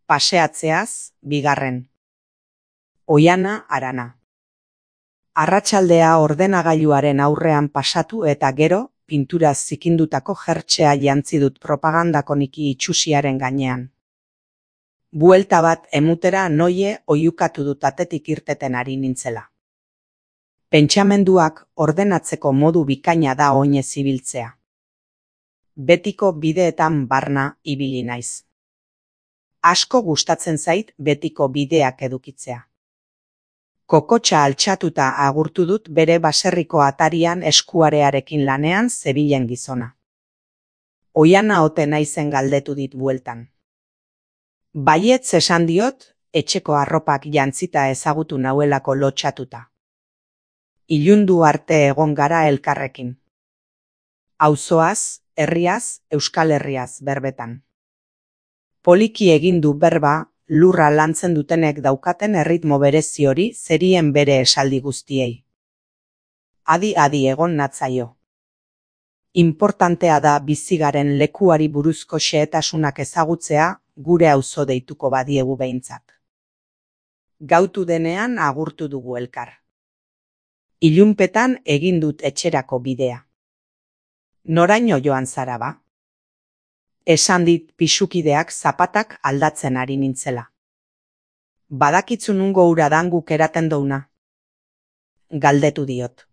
Paseatzeaz, bigarren. Oiana Arana. Arratsaldea ordenagailuaren aurrean pasatu eta gero, pinturaz zikindutako jertxea jantzi dut propagandakoniki itxusiaren gainean. Buelta bat emutera noie oiukatu dut atetik irteten ari nintzela. Pentsamenduak ordenatzeko modu bikaina da oinez ibiltzea. Betiko bideetan barna ibili naiz. Asko gustatzen zait betiko bideak edukitzea. Kokotxa altxatuta agurtu dut bere baserriko atarian eskuarearekin lanean zebilen gizona. Oiana ote naizen galdetu dit bueltan. Baietz esan diot, etxeko arropak jantzita ezagutu nauelako lotxatuta. Ilundu arte egon gara elkarrekin. Auzoaz, herriaz, Euskal Herriaz berbetan. Poliki egin du berba, lurra lantzen dutenek daukaten erritmo berezi hori zerien bere esaldi guztiei. Adi egon natzaio. Importantea da bizigaren lekuari buruzko xehetasunak ezagutzea, gure auzo deituko badiegu behintzat. Gautu denean agurtu dugu elkar. Ilunpetan egin dut etxerako bidea. Noraino joan zara ba? Esan dit pisukideak zapatak aldatzen ari nintzela. Badakitzu nungo ura dan guk eraten douna? Galdetu diot.